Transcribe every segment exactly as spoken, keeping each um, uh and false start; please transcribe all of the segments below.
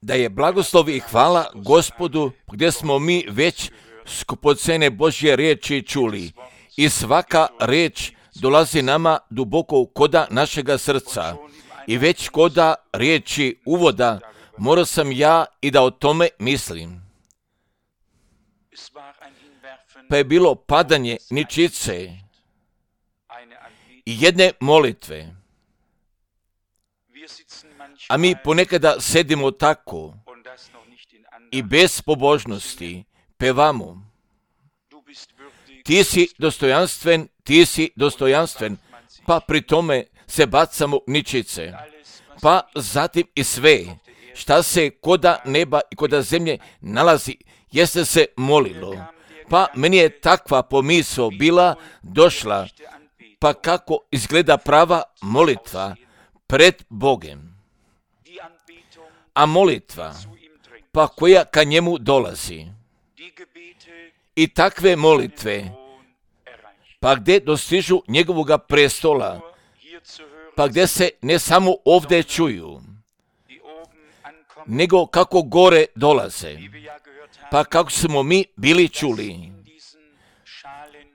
Da je blagoslov i hvala Gospodu gdje smo mi već skupocene Božje riječi čuli i svaka riječ dolazi nama duboko koda našega srca i već koda riječi uvoda morao sam ja i da o tome mislim. Pa je bilo padanje ničice i jedne molitve. A mi ponekada sedimo tako i bez pobožnosti pevamo. Ti si dostojanstven, ti si dostojanstven, pa pri tome se bacamo ničice. Pa zatim i sve, šta se koda neba i koda zemlje nalazi, jeste se molilo. Pa meni je takva pomisao bila došla, pa kako izgleda prava molitva pred Bogem. A molitva, pa koja ka njemu dolazi. I takve molitve, pa gdje dostižu njegovoga prestola, pa gdje se ne samo ovdje čuju, nego kako gore dolaze, pa kako smo mi bili čuli,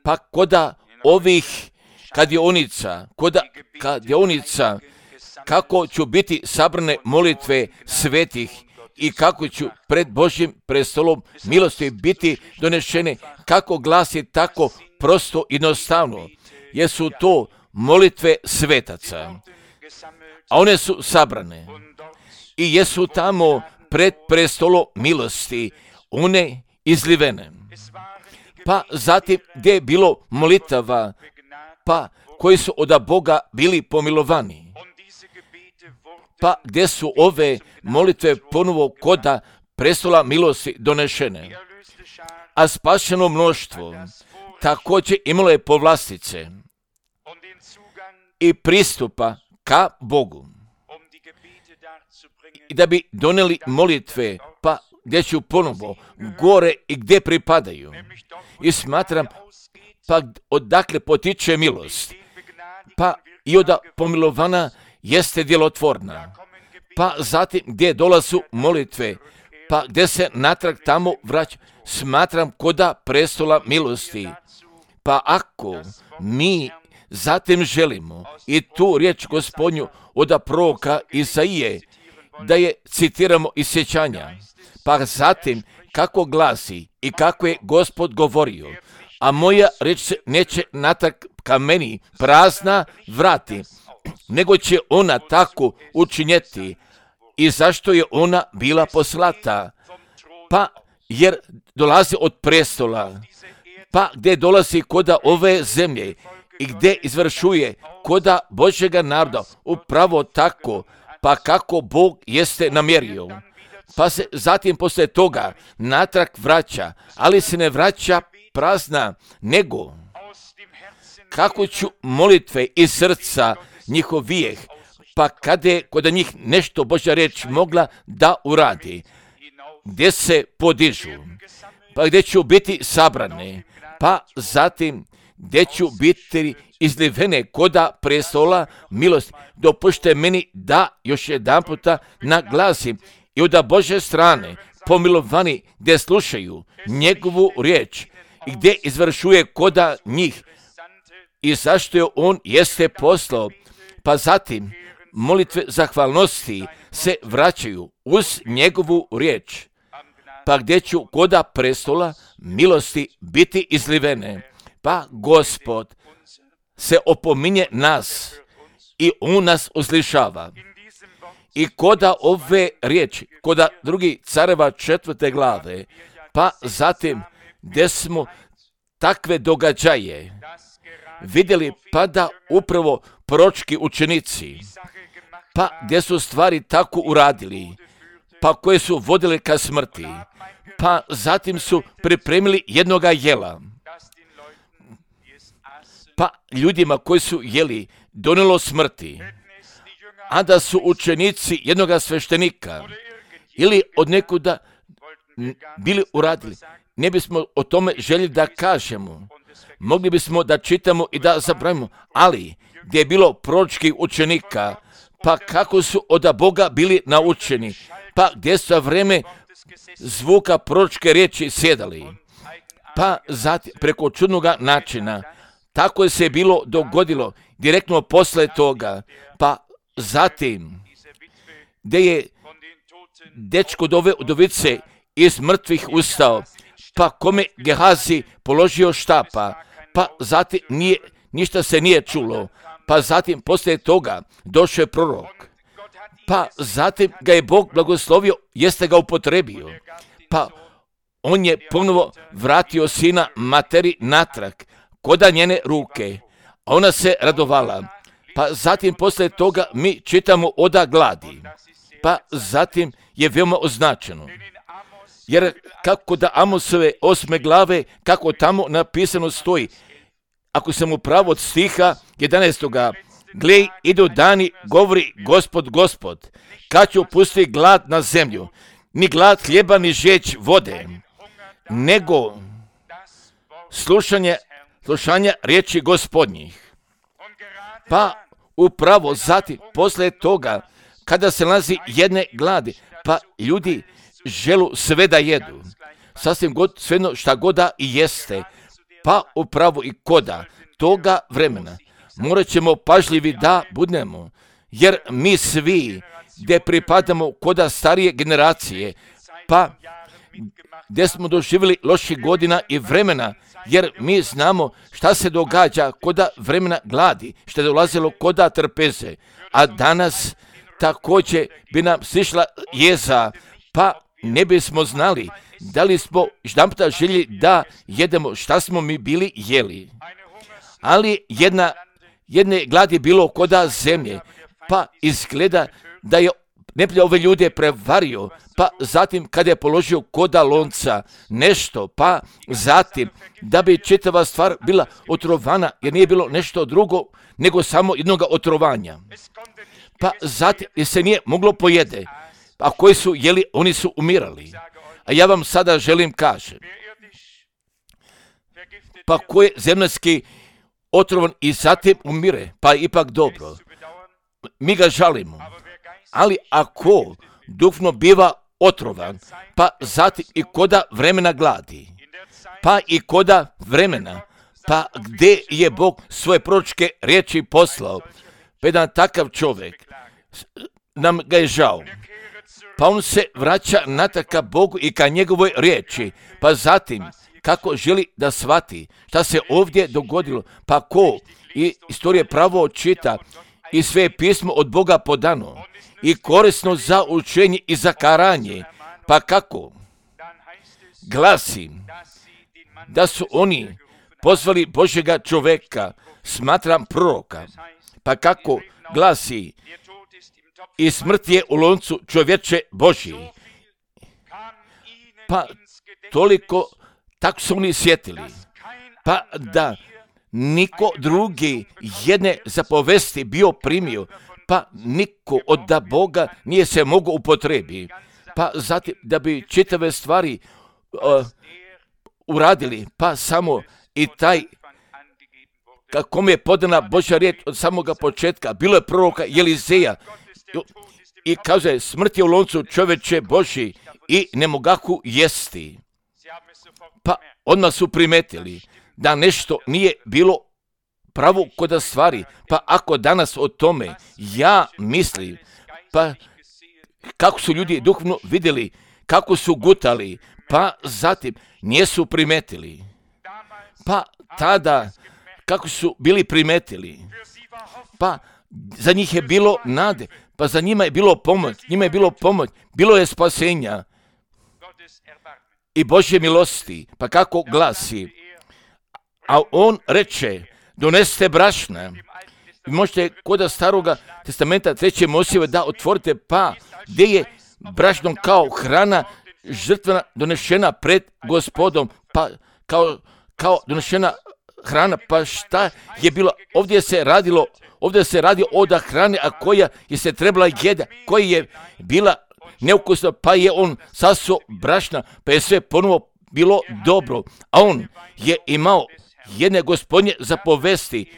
pa koda ovih kadionica, koda kadionica, kako ću biti sabrane molitve svetih i kako ću pred Božjim prestolom milosti biti donešene, kako glasi tako prosto i jednostavno, jer su to molitve svetaca, a one su sabrane i jesu tamo pred prestolom milosti, one izlivene. Pa zatim gdje je bilo molitava, pa koji su od Boga bili pomilovani. Pa gdje su ove molitve ponovo koda prestola milosti donešene. A spašeno mnoštvo također imalo je povlastice i pristupa ka Bogu. I da bi doneli molitve, pa gdje ću ponovo gore i gdje pripadaju. I smatram, pa odakle potiče milost, pa i od pomilovana jeste djelotvorna. Pa zatim gdje dolazu molitve, pa gdje se natrag tamo vraća, smatram koda prestola milosti. Pa ako mi zatim želimo i tu riječ Gospodnju od proroka Isaije, da je citiramo iz sjećanja, pa zatim kako glasi i kako je Gospod govorio, a moja riječ se neće natrag ka meni prazna vrati, nego će ona tako učinjeti. I zašto je ona bila poslata? Pa jer dolazi od prestola, pa gdje dolazi koda ove zemlje i gdje izvršuje koda Božjega naroda, upravo tako, pa kako Bog jeste namjerio. Pa se zatim poslije toga natrag vraća, ali se ne vraća prazna, nego kako ću molitve iz srca njihovijeh, pa kada je kod njih nešto Božja riječ mogla da uradi, gdje se podižu, pa gdje ću biti sabrane, pa zatim gdje ću biti izlivene koda prestola milosti. Dopušte meni da još jedan puta naglasim i od Božje strane pomilovani gdje slušaju njegovu riječ i gdje izvršuje koda njih i zašto je on jeste poslao, pa zatim molitve zahvalnosti se vraćaju uz njegovu riječ, pa gdje ću koda prestola milosti biti izlivene. Pa Gospod se opominje nas i on nas uslišava. I koda ove riječi, koda drugi careva četvrte glave, pa zatim gdje smo takve događaje vidjeli, pa da upravo proročki učenici, pa gdje su stvari tako uradili, pa koje su vodile ka smrti, pa zatim su pripremili jednoga jela, pa ljudima koji su jeli donelo smrti, a da su učenici jednoga sveštenika ili od nekuda bili uradili. Ne bismo o tome željeli da kažemo, mogli bismo da čitamo i da zapravimo, ali gdje je bilo proročkih učenika, pa kako su od Boga bili naučeni, pa gdje su za vreme zvuka proročke riječi sjedali, pa zatim preko čudnoga načina, tako je se bilo dogodilo direktno posle toga, pa zatim gdje je dečko dove udovice iz mrtvih ustao, pa kome Gehazi položio štapa, pa zatim nije, ništa se nije čulo, pa zatim poslije toga došao je prorok, pa zatim ga je Bog blagoslovio, jeste ga upotrebio, pa on je ponovo vratio sina materi natrag, koda njene ruke, a ona se radovala, pa zatim poslije toga mi čitamo oda gladi, pa zatim je veoma označeno. Jer kako da Amosove osme glave, kako tamo napisano stoji, ako sam u pravu od stiha jedanaestoga, glej, idu dani, govori Gospod, Gospod, kad ću pustiti glad na zemlju, ni glad hljeba, ni žeć vode, nego slušanje, slušanja riječi Gospodnjih. Pa upravo zatim, poslije toga, kada se nalazi jedne gladi, pa ljudi želu sve da jedu, sasvim god, svejedno šta god da i jeste, pa upravo i koda toga vremena morat ćemo pažljivi da budemo, jer mi svi gdje pripadamo koda starije generacije, pa gdje smo doživjeli loših godina i vremena, jer mi znamo šta se događa koda vremena gladi, što je dolazilo koda trpeze, a danas također bi nam sišla jeza, pa ne bismo znali da li smo jedanputa željeli da jedemo šta smo mi bili jeli. Ali jedna, jedne gladi bilo koda zemlje, pa izgleda da je neprijatelj ove ljude prevario, pa zatim kada je položio koda lonca nešto, pa zatim da bi čitava stvar bila otrovana, jer nije bilo nešto drugo nego samo jednog otrovanja. Pa zatim jer se nije moglo pojede, a koji su jeli, oni su umirali. A ja vam sada želim kažem, pa ko je zemaljski otrovan i zatim umire, pa ipak dobro, mi ga žalimo. Ali ako duhovno biva otrovan, pa zatim i koda vremena gladi, pa i koda vremena, pa gdje je Bog svoje proročke riječi poslao, pa jedan takav čovjek, nam ga je žao, pa on se vraća natrag ka Bogu i ka njegovoj riječi, pa zatim kako želi da shvati šta se ovdje dogodilo, pa ko i istorije pravo čita i sve je pismo od Boga podano i korisno za učenje i za karanje, pa kako glasi da su oni pozvali Božjega čoveka, smatram proroka, pa kako glasi i smrt je u loncu čovječe Božji. Pa toliko tako su oni sjetili, pa da niko drugi jedne zapovesti bio primio, pa niko od da Boga nije se mogao upotrebi, pa zatim da bi čitave stvari uh, uradili, pa samo i taj kome je podana Božja riječ od samoga početka, bilo je proroka Elizeja i kaže smrt je u loncu čoveče Božji i ne mogahu jesti. Pa odmah su primetili da nešto nije bilo pravo koda stvari, pa ako danas o tome ja mislim, pa kako su ljudi duhovno vidjeli, kako su gutali, pa zatim nisu primetili, pa tada kako su bili primetili, pa za njih je bilo nade, pa za njima je bilo pomoć, njima je bilo pomoć, bilo je spasenja i Božje milosti, pa kako glasi, a on reče, doneste brašna, i možete kod staroga testamenta treće Mojsijeve da otvorite, pa gdje je brašno kao hrana žrtvena donešena pred Gospodom, pa kao, kao donešena hrana, pa šta je bilo, ovdje se radilo, ovdje se radi od hrane, a koja je se trebala jeda, koja je bila neukusna, pa je on sasuo brašna, pa je sve ponovo bilo dobro, a on je imao jedne Gospodnje zapovesti,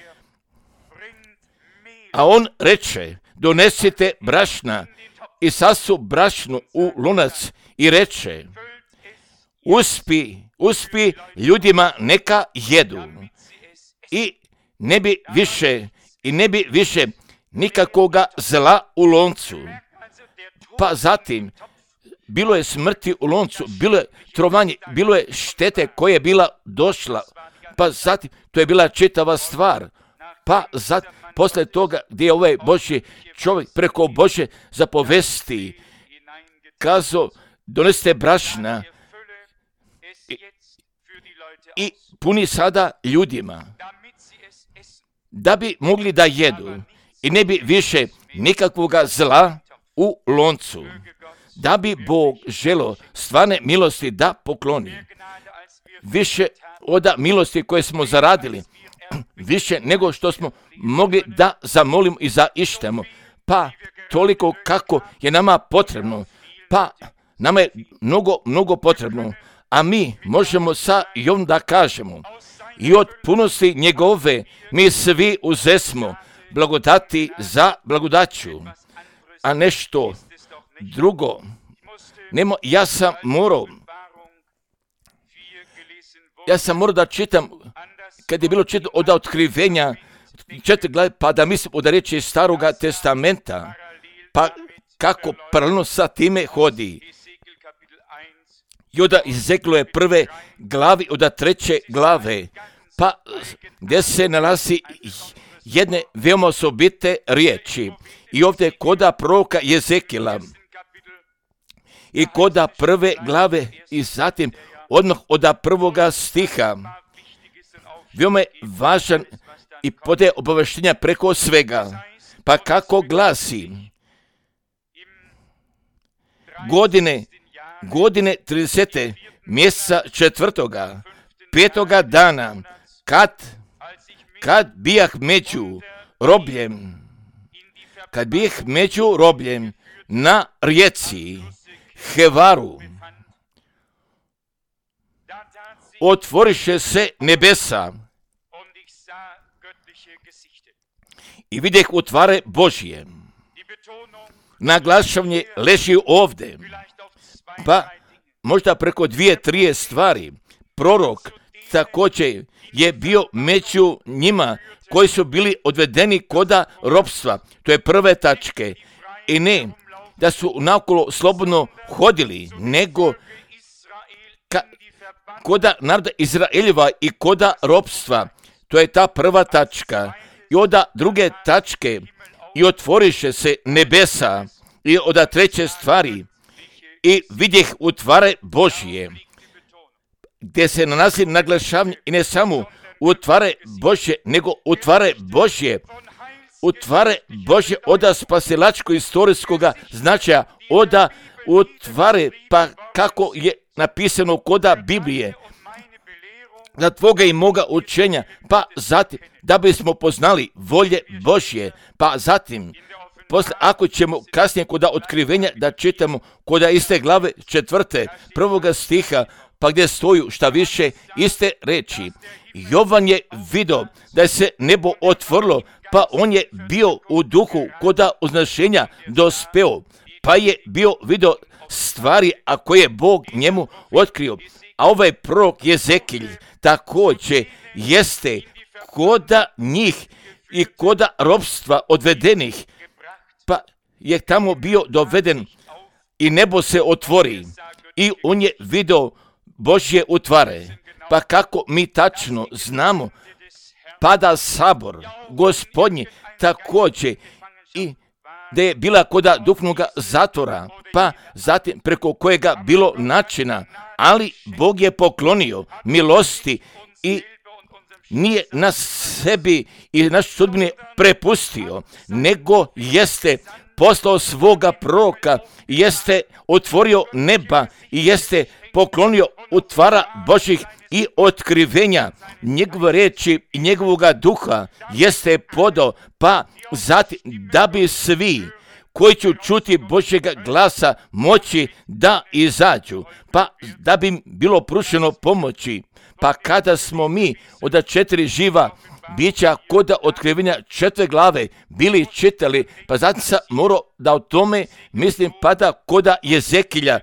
a on reče, donesite brašna i sasu brašnu u lunac i reče, uspi, uspi ljudima neka jedu i ne bi više, i ne bi više nikakvoga zla u loncu. Pa zatim, bilo je smrti u loncu, bilo je trovanje, bilo je štete koja je bila došla, pa zatim, to je bila čitava stvar. Pa zatim, posle toga gdje je ovaj Božji čovjek preko Božje zapovesti kazao, donesite brašna i, i puni sada ljudima, da bi mogli da jedu i ne bi više nikakvoga zla u loncu, da bi Bog želo stvarne milosti da pokloni. Više od milosti koje smo zaradili, više nego što smo mogli da zamolimo i zaištemo, pa toliko kako je nama potrebno, pa nama je mnogo, mnogo potrebno, a mi možemo sa Jovom da kažemo, i od punosti njegove mi svi uzesmo blagodati za blagodaću, a nešto drugo. Nemo, ja sam morao, ja sam morao da čitam, kad je bilo čitano od otkrivenja četiri glave, pa da mislim od riječi Staroga testamenta, pa kako paralelno sa time hodi. I od Ezekilove prve glavi, od treće glave, pa gdje se nalazi jedne veoma osobite riječi. I ovdje koda proroka Ezekila i koda prve glave i zatim odmah od prvoga stiha. Veoma je važan i podaje obaveštenja preko svega. Pa kako glasi, godine, godine tridesete mjeseca četvrtoga, petoga dana, kad, kad bijah među robljem, kad bijah među robljem na rijeci Hevaru, otvoriše se nebesa i vidjeh utvare Božije. Naglašavanje leži ovdje, pa možda preko dvije, trije stvari. Prorok također je bio među njima koji su bili odvedeni koda ropstva. To je prve tačke. I ne da su naokolo slobodno hodili, nego ka, koda naroda Izraeljeva i koda ropstva. To je ta prva tačka. I od druge tačke i otvoriše se nebesa i od treće stvari i vidjeh utvare Božije, gdje se nalazi naglašavanje i ne samo utvare Božje, nego utvare Božje, utvare Božje od spasilačko istorijskog značaja, od utvare, pa kako je napisano koda Biblije, za tvoga i moga učenja, pa zatim da bismo poznali volje Božje, pa zatim posle, ako ćemo kasnije kod otkrivenja da čitamo kod iste glave četvrte prvoga stiha, pa gdje stoju šta više iste reči. Jovan je vidio da se nebo otvorilo, pa on je bio u duhu kod uznašenja dospeo, pa je bio vidio stvari a koje je Bog njemu otkrio. A ovaj prorok Ezekilj također jeste koda njih i koda ropstva odvedenih, pa je tamo bio doveden i nebo se otvori i on je vidio Božje utvare. Pa kako mi tačno znamo, pada sabor Gospodnji također i da je bila koda duhovnog zatvora, pa zatim preko kojega bilo načina, ali Bog je poklonio milosti i nije na sebi i naš sudbini prepustio, nego jeste poslao svoga proroka, jeste otvorio neba i jeste poklonio utvara Božih i otkrivenja njegove riječi i njegovoga duha jeste podao, pa zatim da bi svi koji će čuti Božjega glasa moći da izađu, pa da bi im bilo pruženo pomoći. Pa kada smo mi od četiri živa bića koda otkrivenja četiri glave bili čitali, pa zatim sam morao da o tome mislim pada koda Jezekilja,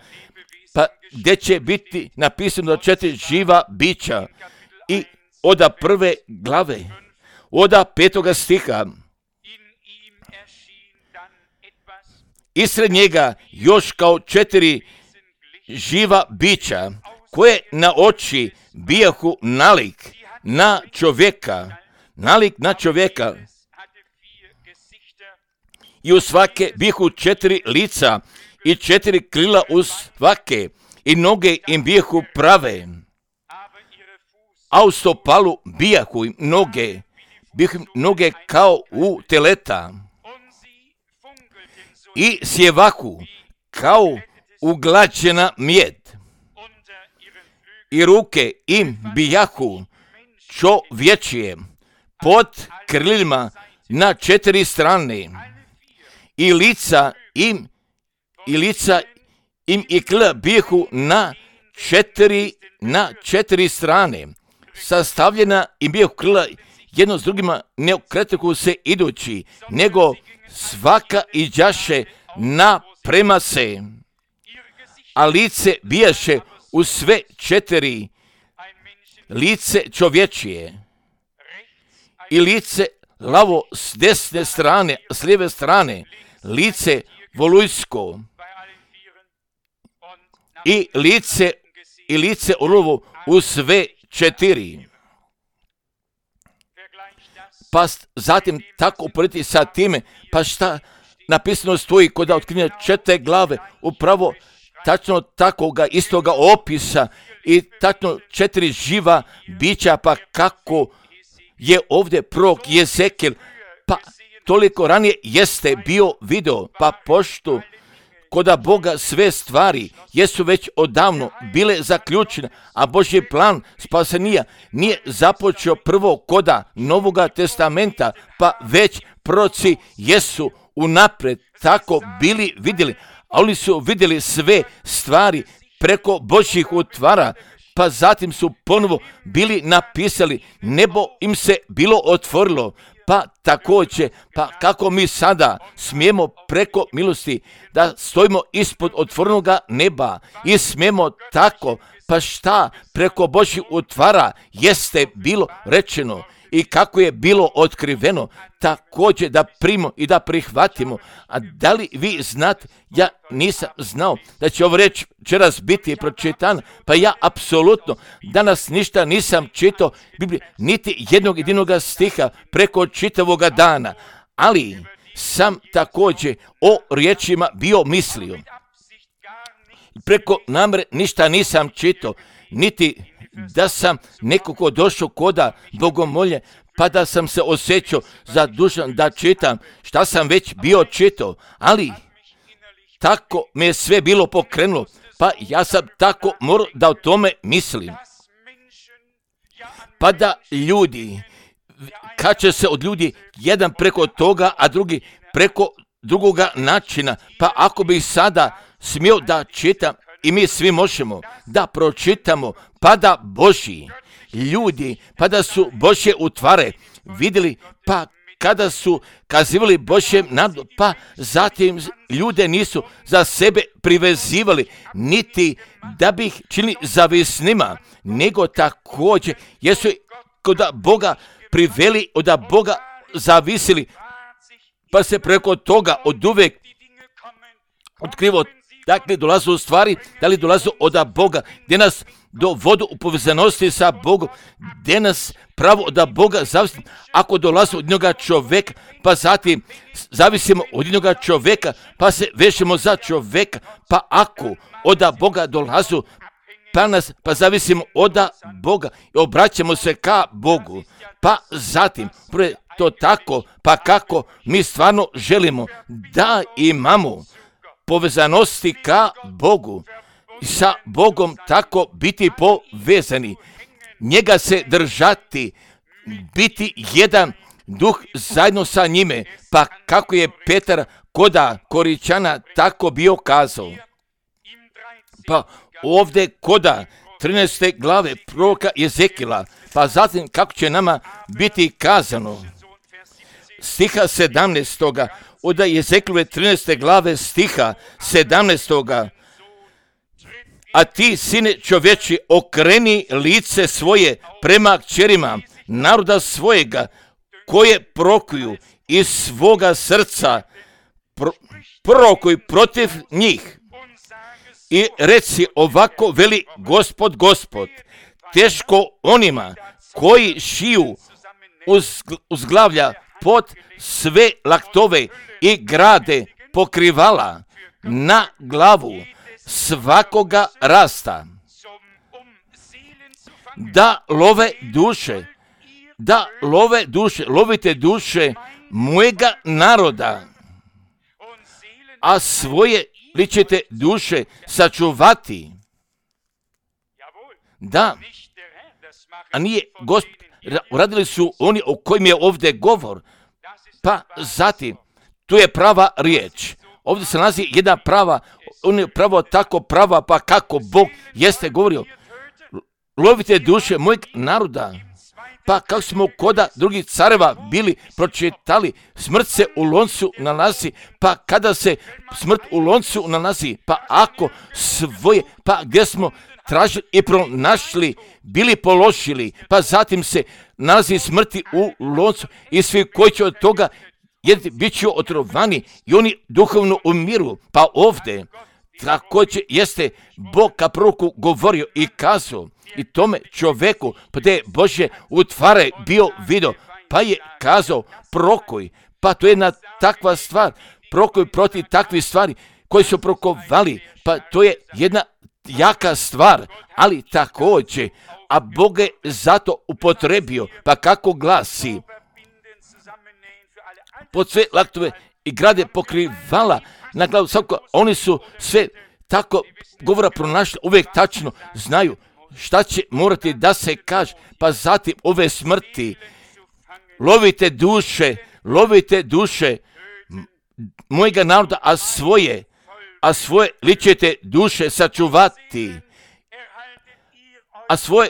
pa gdje će biti napisano četiri živa bića i oda prve glave, oda petoga stiha. Ispred njega još kao četiri živa bića koje na oči bijahu nalik na čovjeka, nalik na čovjeka. I u svake bijahu četiri lica i četiri krila u svake i noge im bijahu prave. A u stopalu bijahu im noge, bijahu im noge kao u teleta. I sjevahu kao uglađena mjed. I ruke im bijahu čovječije pod krilima na četiri strane. I lica im i lica im i krila bijahu na četiri na četiri strane. Sastavljena im bijahu krila jedno s drugima ne okretuju se idući, nego svaka iđaše na prema se, a lice bijaše u sve četiri, lice čovječije i lice lavo s desne strane, s lijeve strane, lice volujsko i lice i lice orlovo u sve četiri. Pa zatim tako uporediti sa time, pa šta napisano stoji kod otkrivenja četiri glave, upravo tačno takoga istoga opisa i tačno četiri živa bića, pa kako je ovdje prorok Jezekil, pa toliko ranije jeste bio video, pa pošto koda Boga sve stvari jesu već odavno bile zaključene, a Božji plan spasenija nije započeo prvo koda Novoga testamenta, pa već proroci jesu unapred tako bili vidjeli, a oni su vidjeli sve stvari preko Božjih utvara, pa zatim su ponovo bili napisali, nebo im se bilo otvorilo, pa također, pa kako mi sada smijemo preko milosti da stojimo ispod otvorenoga neba i smijemo tako, pa šta preko Božjih utvara jeste bilo rečeno i kako je bilo otkriveno, također da primimo i da prihvatimo. A da li vi znate, ja nisam znao da će ovo reč večeras biti pročitan, pa ja apsolutno danas ništa nisam čitao Biblije, niti jednog jedinoga stiha preko čitavoga dana, ali sam također o riječima bio mislio. Preko namere ništa nisam čitao, niti da sam nekako došao koda bogomolje, pa da sam se osjećao zadužan da čitam šta sam već bio čitao, ali tako me je sve bilo pokrenulo, pa ja sam tako morao da o tome mislim. Pa da ljudi, kače se od ljudi jedan preko toga, a drugi preko drugoga načina, pa ako bi sada smio da čitam, i mi svi možemo da pročitamo, pa da Božji ljudi, pa da su Božje utvare vidjeli, pa kada su kazivali Božjem narodu, pa zatim ljude nisu za sebe privezivali, niti da bi ih činili zavisnima, nego također jesu kod Boga priveli, od Boga zavisili, pa se preko toga od uvijek otkrivo. Dakle, dolaze u stvari, da li dolaze od Boga, gdje nas dovodu u povezanosti sa Bogom, gdje nas pravo od Boga zavisi. Ako dolaze od jednoga čovjeka, pa zatim zavisimo od jednoga čovjeka, pa se vežemo za čovjeka, pa ako od Boga dolazu, pa nas, pa zavisimo od Boga i obraćamo se ka Bogu, pa zatim, prvo to tako, pa kako mi stvarno želimo da imamo povezanosti ka Bogu i sa Bogom tako biti povezani, njega se držati, biti jedan duh zajedno sa njime, pa kako je Petar koda Koričana tako bio kazao. Pa ovdje koda trinaeste glave proroka Jezekila, pa zatim kako će nama biti kazano. Stiha sedamnaestoga od Jezekilove trinaeste glave stiha sedamnaestoga A ti, sine čovječi, okreni lice svoje prema kćerima naroda svojega, koje prokuju iz svoga srca, pro, prorokuj protiv njih. I reci ovako, veli Gospod, Gospod, teško onima koji šiju uz, uzglavlja pod sve laktove i grade pokrivala na glavu svakoga rasta, da love duše, da love duše, lovite duše mojega naroda, a svoje li ćete duše sačuvati. Da, a nije Gospod, uradili su oni o kojim je ovdje govor, pa zatim, tu je prava riječ. Ovdje se nalazi jedna prava, on je pravo tako prava, pa kako Bog jeste govorio. Lovite duše mojeg naroda. Pa kako smo koda drugih careva bili pročitali, smrt se u loncu nalazi, pa kada se smrt u loncu nalazi, pa ako svoje, pa gdje smo tražili i pronašli, bili položili, pa zatim se nalazi smrti u loncu i svi koji će od toga jedni bit će otrovani i oni duhovno umiru. Pa ovdje također jeste Bog ka proroku govorio i kazao i tome čovjeku, pa da je Božje utvare bio vidio, pa je kazao prorokuj, pa to je jedna takva stvar, prorokuj protiv takvih stvari koji su prorokovali, pa to je jedna jaka stvar, ali također, a Bog je zato upotrebio, pa kako glasi, pod sve laktove i grade pokrivala na glavu svako, oni su sve tako govora pronašli, uvijek tačno znaju šta će morati da se kaže, pa zatim ove smrti, lovite duše, lovite duše mojega naroda, a svoje, a svoje li ćete duše sačuvati, a svoje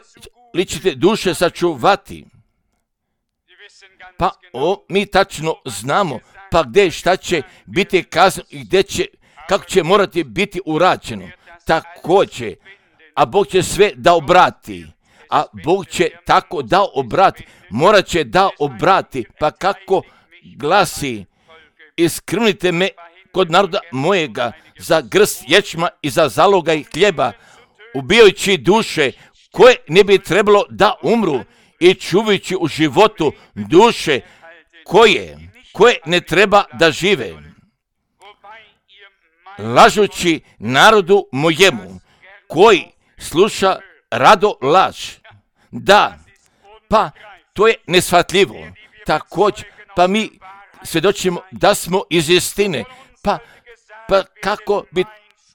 li ćete duše sačuvati. Pa o, mi tačno znamo, pa gdje šta će biti kazano i gdje će, kako će morati biti urađeno. Također, a Bog će sve da obrati, a Bog će tako da obrati, morat će da obrati, pa kako glasi, iskrnite me kod naroda mojega za grst ječma i za zalogaj hljeba, ubijajući duše koje ne bi trebalo da umru i čuvajući u životu duše koje, koje ne treba da žive, lažući narodu mojemu koji sluša rado laž. Da, pa to je neshvatljivo. Također, pa mi svjedočimo da smo iz istine, pa, pa kako bi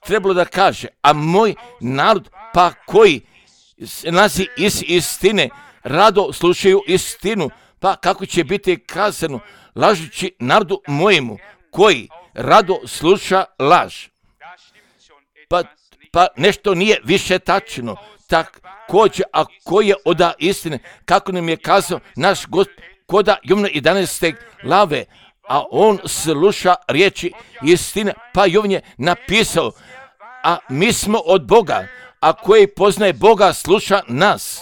trebalo da kaže, a moj narod, pa koji se nalazi iz istine, rado slušaju istinu, pa kako će biti kazano, lažući narodu mojemu, koji rado sluša laž. Pa, pa nešto nije više tačno. Također, a koji je od istine, kako nam je kazao naš Gospod, koda Jovana jedanaeste glave, a on sluša riječi istine, pa Jovan je napisao, a mi smo od Boga, a koji poznaje Boga sluša nas.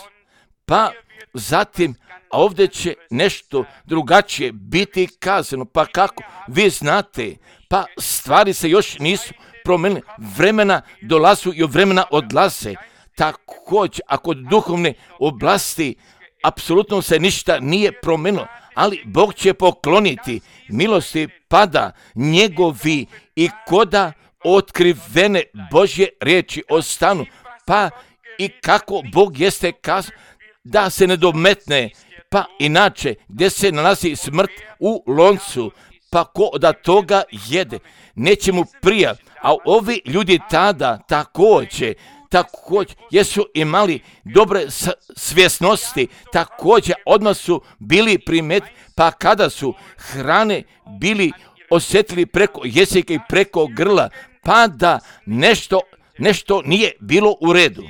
Pa zatim, a ovdje će nešto drugačije biti kazano, pa kako vi znate, pa stvari se još nisu promijenile, vremena dolazu i vremena odlaze. Također, ako duhovne oblasti apsolutno se ništa nije promijenilo, ali Bog će pokloniti milosti pada njegovi i koda otkrivene Božje riječi ostanu, pa i kako Bog jeste kazao da se ne dometne, pa inače gdje se nalazi smrt u loncu, pa ko da toga jede, neće mu prija, a ovi ljudi tada također, također jesu imali dobre svjesnosti, također odmah su bili primet, pa kada su hrane bili osjetili preko jezika i preko grla, pa da nešto, nešto nije bilo u redu.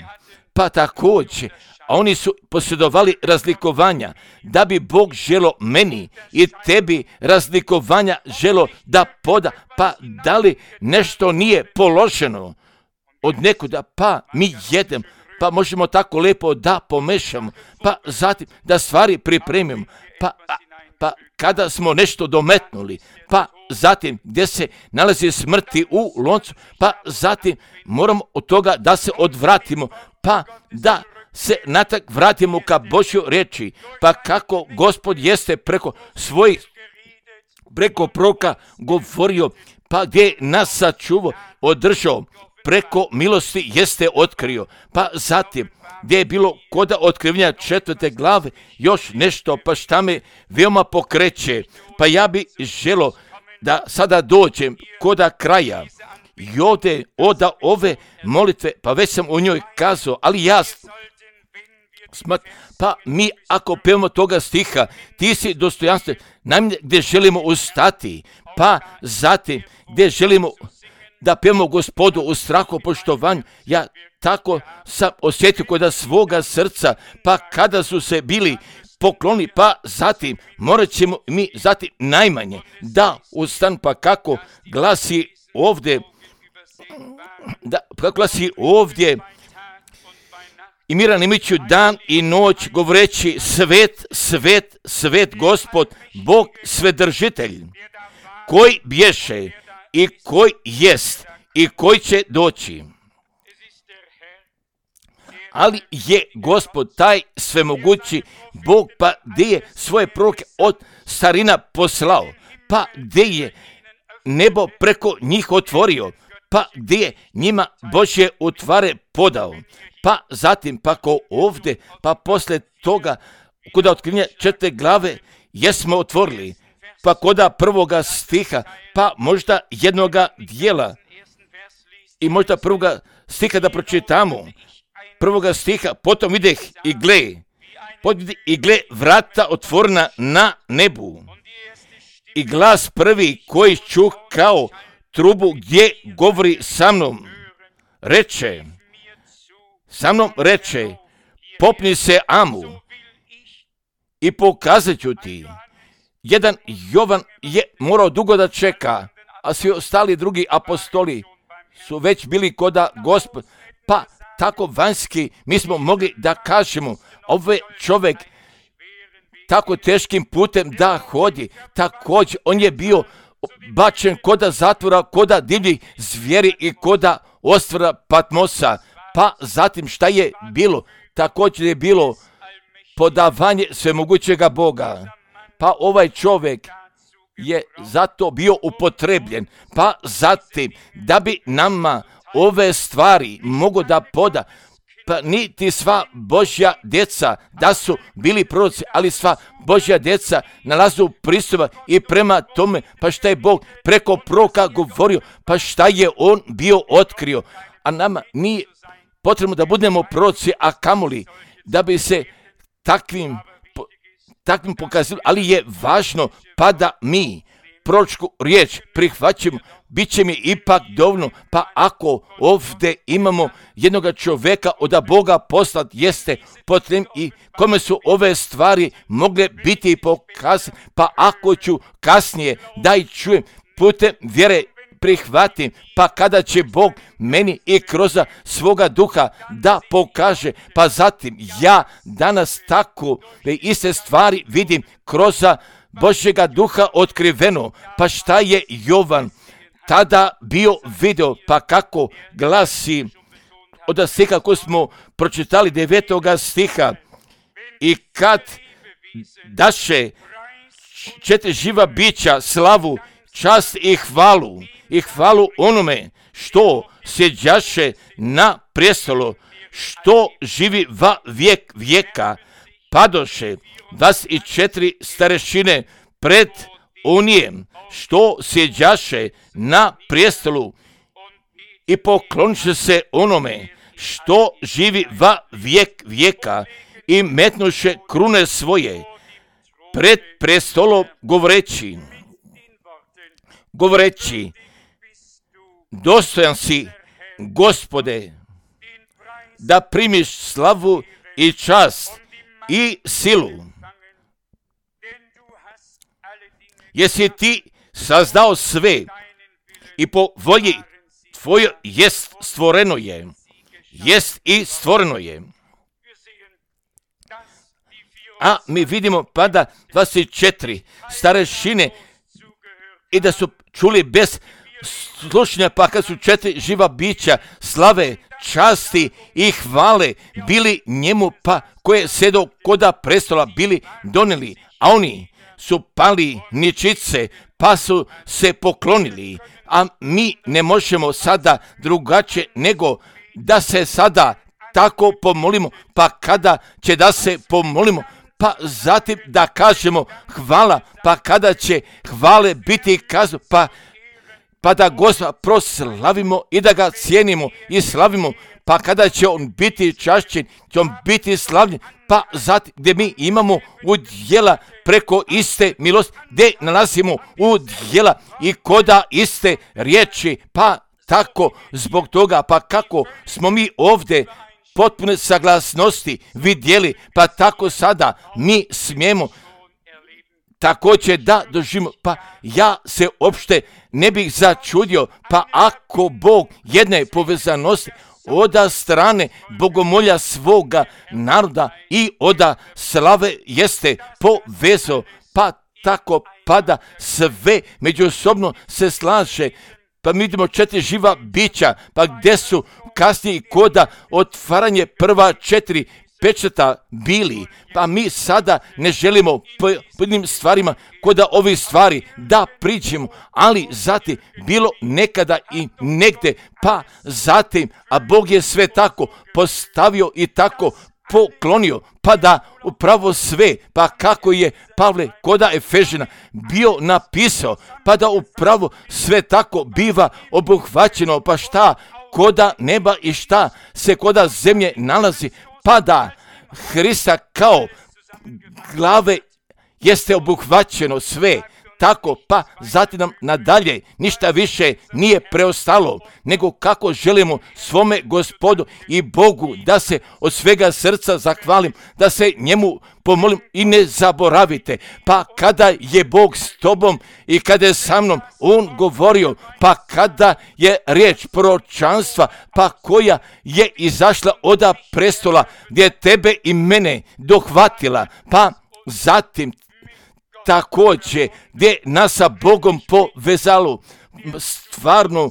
pa također, a oni su posjedovali razlikovanja, da bi Bog želo meni i tebi razlikovanja želo da poda, pa da li nešto nije položeno od nekuda, pa mi jedem, pa možemo tako lepo da pomešamo, pa zatim da stvari pripremimo, pa, pa kada smo nešto dometnuli, pa zatim gdje se nalazi smrti u loncu, pa zatim moramo od toga da se odvratimo, pa da se natak vratimo ka Božjoj riječi, pa kako Gospod jeste preko svojih, preko proroka govorio, pa gdje nas sačuvao, održao, preko milosti jeste otkrio, pa zatim gdje je bilo koda otkrivanja četvrte glave još nešto, pa šta me veoma pokreće, pa ja bi želo da sada dođem koda kraja i ovdje oda ove molitve, pa već sam o njoj kazao, ali ja smat, pa mi ako pevamo toga stiha, ti si dostojanstven, najmanje gdje želimo ustati, pa zatim gdje želimo da pevamo Gospodu u strahu poštovanju, ja tako sam osjetio kod svoga srca, pa kada su se bili pokloni, pa zatim morat ćemo mi zatim najmanje da ustan, pa kako glasi ovdje, da, kako glasi ovdje, i Miran Imiću dan i noć govoreći svet, svet, svet Gospod, Bog svedržitelj, koji bješe i koji jest i koji će doći. Ali je Gospod taj svemogući Bog, pa gdje je svoje proroke od starina poslao, pa gdje je nebo preko njih otvorio, pa gdje je njima Božje utvare podao. Pa zatim, pa ko ovdje, pa poslije toga, kuda otkrivenja četvrte glave, jesmo otvorili, pa koda prvoga stiha, pa možda jednoga dijela, i možda prvoga stiha da pročitamo, prvoga stiha, potom videh i gle, i gle vrata otvorena na nebu, i glas prvi koji čuh kao trubu gdje govori sa mnom, reče, sa mnom reče, popni se Amu i pokazat ću ti. Jedan Jovan je morao dugo da čeka, a svi ostali drugi apostoli su već bili koda Gospod, pa tako vanjski mi smo mogli da kažemo, ovaj čovjek tako teškim putem da hodi, također on je bio bačen koda zatvora, koda divljih zvijeri i koda ostvora Patmosa, pa zatim šta je bilo? Također je bilo podavanje svemogućega Boga, pa ovaj čovjek je zato bio upotrebljen, pa zatim da bi nama ove stvari mogo da poda, pa niti sva Božja djeca da su bili proroci, ali sva Božja djeca nalazu pristupa i prema tome, pa šta je Bog preko proroka govorio, pa šta je on bio otkrio, a nama nije potrebno da budemo proroci, a kamoli da bi se takvim, takvim pokazali, ali je važno pa da mi proročku riječ prihvaćamo, bit će mi ipak dovoljno, pa ako ovdje imamo jednog čovjeka od Boga poslat jeste potrebno i kome su ove stvari mogle biti pokazane, pa ako ću kasnije da i čujem putem vjere prihvatim, pa kada će Bog meni i kroz svoga duha da pokaže, pa zatim ja danas tako iste stvari vidim kroz Božjega duha otkriveno, pa šta je Jovan tada bio video, pa kako glasi od stiha koji smo pročitali devetoga stiha, i kad daše četiri živa bića slavu, čast i hvalu, i hvalu onome što sjeđaše na prijestolu, što živi va vijek vijeka, padoše dvadeset četiri starešine pred unijem, što sjeđaše na prijestolu i pokloniše se onome što živi va vijek vijeka i metnuše krune svoje pred prestolom govoreći, govoreći, dostojan si, Gospode, da primiš slavu i čast i silu. Jesi ti sazdao sve i po volji tvojoj jest stvoreno je. Jest i stvoreno je. A mi vidimo pada dvadeset četiri starešine i da su čuli bez slušanja, pa kad su četiri živa bića slave, časti i hvale bili njemu, pa koje sedo koda prestola bili donijeli, a oni su pali ničice, pa su se poklonili. A mi ne možemo sada drugačije nego da se sada tako pomolimo, pa kada će da se pomolimo, pa zatim da kažemo hvala, pa kada će hvale biti kazano, pa, pa da Gospoda proslavimo i da ga cijenimo i slavimo, pa kada će on biti čašćen, će on biti slavljen, pa zatim gdje mi imamo udjela preko iste milosti, gdje nalazimo udjela i koda iste riječi, pa tako zbog toga, pa kako smo mi ovdje potpune saglasnosti vidjeli, pa tako sada mi smijemo također da doživimo, pa ja se uopšte ne bih začudio, pa ako Bog jedne povezanosti oda strane bogomolja svoga naroda i oda slave jeste povezao, pa tako pada sve međusobno se slaže. Pa mi vidimo četiri živa bića, pa gdje su kasnije koda otvaranje prva četiri pečata bili, pa mi sada ne želimo po jednim stvarima koda ovih stvari da priđemo, ali zatim bilo nekada i negde, pa zatim, a Bog je sve tako postavio i tako poklonio, pa da upravo sve, pa kako je Pavle koda Efežina bio napisao, pa da upravo sve tako biva obuhvaćeno, pa šta koda neba i šta se koda zemlje nalazi, pa da Hrista kao glave jeste obuhvaćeno sve, tako pa zatim nam nadalje ništa više nije preostalo, nego kako želimo svome Gospodu i Bogu da se od svega srca zahvalim, da se njemu pomolim i ne zaboravite, pa kada je Bog s tobom i kada je sa mnom on govorio, pa kada je riječ proročanstva, pa koja je izašla oda prestola gdje tebe i mene dohvatila, pa zatim također gdje nas sa Bogom povezalo stvarno,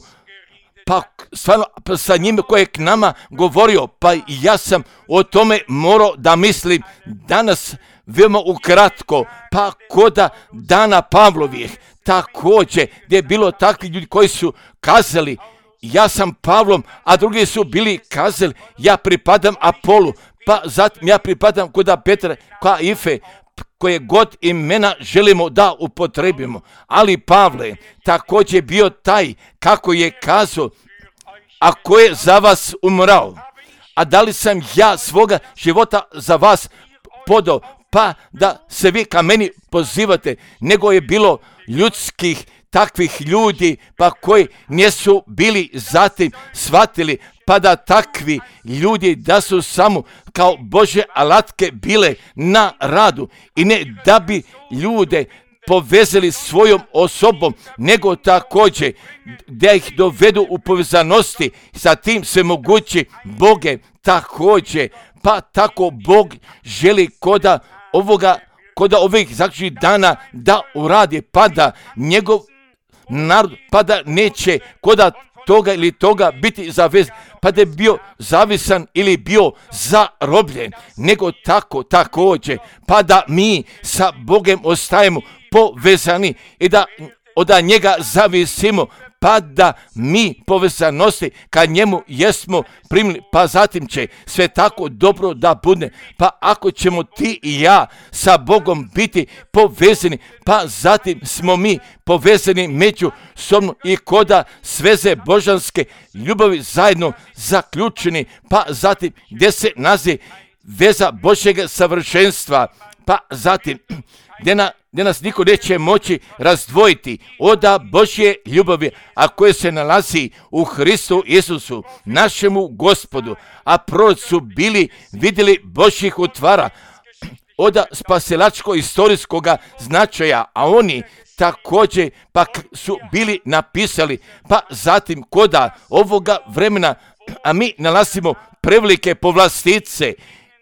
pa stvarno pa sa njime koje je k nama govorio, pa ja sam o tome morao da mislim danas veoma ukratko, pa koda dana Pavlovih također gdje je bilo takvi ljudi koji su kazali ja sam Pavlom, a drugi su bili kazali ja pripadam Apolu, pa zatim ja pripadam koda Petra, ka Ife, koje god imena želimo da upotrebimo. Ali Pavle također bio taj kako je kazao, a ko je za vas umrao, a da li sam ja svoga života za vas podao, pa da se vi ka meni pozivate, nego je bilo ljudskih takvih ljudi, pa koji nisu bili zatim shvatili, pa da takvi ljudi da su samo kao Bože alatke bile na radu i ne da bi ljude povezali svojom osobom, nego također da ih dovedu u povezanosti sa tim svemogući Boge također, pa tako Bog želi koda ovoga, koda ovih zaključnih dana da uradi, pa da njegov narod, pa da neće koda toga ili toga biti zavezan, pa da je bio zavisan ili bio zarobljen, nego tako također, pa da mi sa Bogem ostajemo povezani i da od njega zavisimo, pa da mi povezanosti kad njemu jesmo primili, pa zatim će sve tako dobro da bude, pa ako ćemo ti i ja sa Bogom biti povezani, pa zatim smo mi povezani međusobno i koda sveze božanske ljubavi zajedno zaključeni, pa zatim gdje se nazi veza Božjega savršenstva, pa zatim gdje na gdje nas niko neće moći razdvojiti od Božje ljubavi, a koje se nalazi u Hristu Isusu, našemu Gospodu. A proroci su bili vidjeli Božjih utvara od spasilačko-istorijskog značaja, a oni također pak su bili napisali, pa zatim koda ovoga vremena, a mi nalazimo prevelike povlastice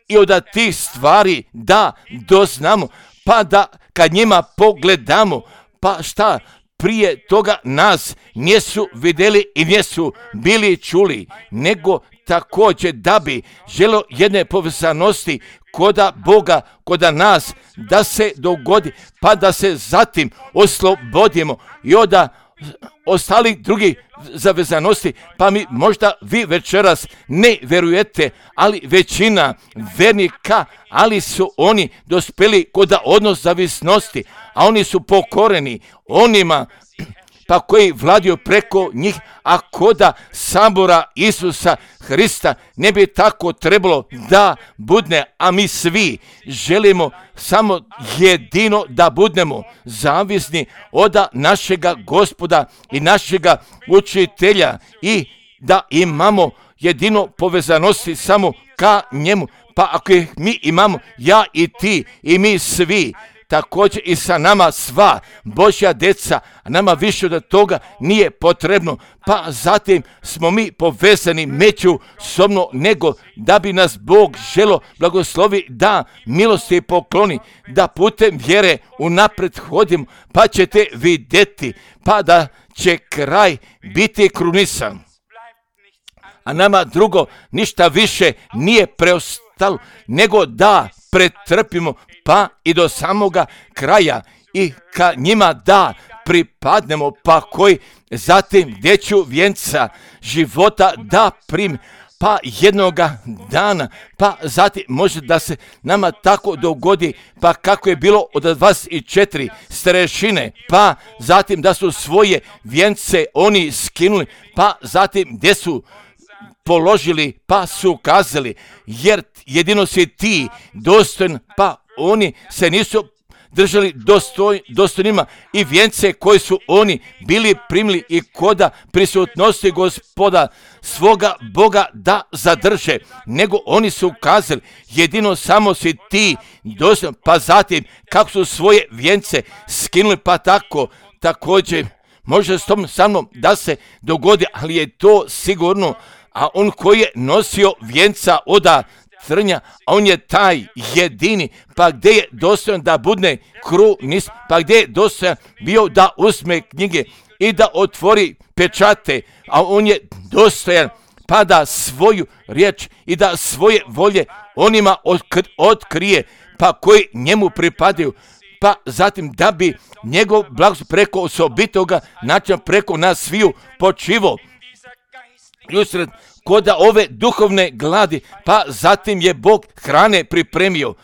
i od tih stvari da doznamo, pa da kad njima pogledamo, pa šta prije toga nas nisu vidjeli i nisu bili čuli, nego također da bi želo jedne povezanosti koda Boga, koda nas, da se dogodi, pa da se zatim oslobodimo i od ostalih drugih zavezanosti, pa mi možda vi večeras ne vjerujete, ali većina vernika, ali su oni dospjeli kod odnos zavisnosti, a oni su pokoreni onima pa koji vladaju preko njih, a koda sabora Isusa Hrista ne bi tako trebalo da budne, a mi svi želimo samo jedino da budemo zavisni od našega Gospoda i našega učitelja i da imamo jedino povezanosti samo ka njemu. Pa ako ih mi imamo, ja i ti i mi svi, također i sa nama sva Božja deca, a nama više od toga nije potrebno, pa zatim smo mi povezani međusobno, nego da bi nas Bog želo blagoslovi, da milosti pokloni, da putem vjere unaprijed hodimo, pa ćete vidjeti, pa da će kraj biti krunisan. A nama drugo ništa više nije preostalo, nego da pretrpimo pa i do samoga kraja i ka njima da pripadnemo, pa koji zatim dječju vjenca života da prim, pa jednoga dana, pa zatim može da se nama tako dogodi, pa kako je bilo od dvadeset četiri starešine, pa zatim da su svoje vjence oni skinuli, pa zatim gdje su položili, pa su kazali, jer jedino si ti dostojan, pa oni se nisu držali dostoj, dostojnima i vjence koji su oni bili primili i koda prisutnosti Gospoda svoga Boga da zadrže, nego oni su kazali, jedino samo si ti dostojan, pa zatim kako su svoje vjence skinuli, pa tako također može s tom sa mnom da se dogodi, ali je to sigurno, a on koji je nosio vjenca od trnja, a on je taj jedini, pa gdje je dostojan da budne krunis, pa gdje je dostojan bio da uzme knjige i da otvori pečate, a on je dostojan pa da svoju riječ i da svoje volje onima otkrije, pa koji njemu pripadaju, pa zatim da bi njegov blagoslov preko osobitoga načina preko nas sviju počivo i usred koda ove duhovne gladi, pa zatim je Bog hrane pripremio,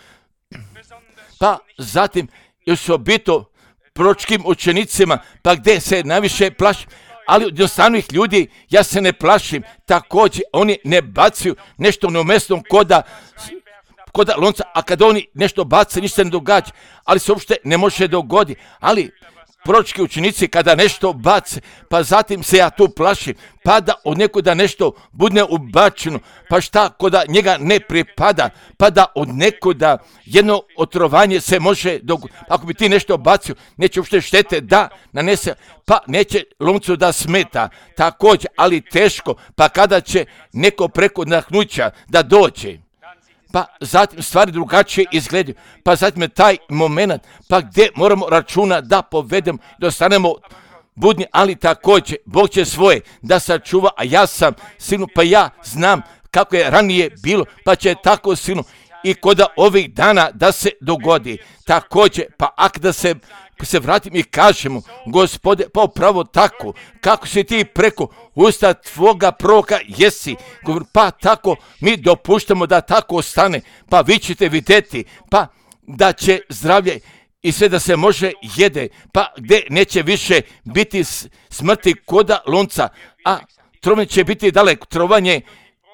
pa zatim još obito proročkim učenicima, pa gdje se najviše plašim, ali od jednostavnih ljudi ja se ne plašim, također oni ne bacaju nešto neumjesno koda koda lonca, a kad oni nešto bace, ništa ne događa, ali se uopšte ne može dogoditi, ali proročki učenici kada nešto bace, pa zatim se ja tu plašim, pa da od nekuda nešto bude ubačeno, pa šta koda njega ne pripada, pa da od nekuda jedno otrovanje se može dogoditi. Ako bi ti nešto bacio, neće uopšte štete da nanese, pa neće loncu da smeta, također, ali teško, pa kada će neko preko nahnuća da dođe, pa zatim stvari drugačije izgledaju, pa zatim je taj moment, pa gdje moramo računa da povedemo, da ostanemo budni, ali također Bog će svoje da sačuva, a ja sam silno, pa ja znam kako je ranije bilo, pa će tako silno i kod ovih dana da se dogodi. Također, pa ak da se se vratim i kažemo, Gospode, pa upravo tako, kako si ti preko usta tvoga proroka jesi, pa tako mi dopuštamo da tako ostane, pa vi ćete vidjeti, pa da će zdravlje i sve da se može jede, pa gdje neće više biti smrti koda lonca, a trovanje će biti daleko, trovanje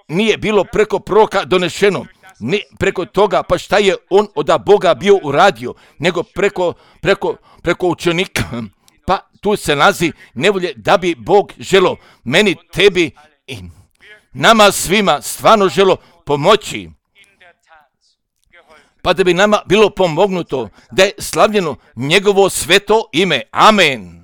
nije bilo preko proroka donešeno, ne preko toga, pa šta je on od Boga bio uradio, nego preko, preko, preko učenika. Pa tu se nalazi nevolje da bi Bog želo meni, tebi i nama svima stvarno želo pomoći. Pa da bi nama bilo pomognuto da je slavljeno njegovo sveto ime. Amen.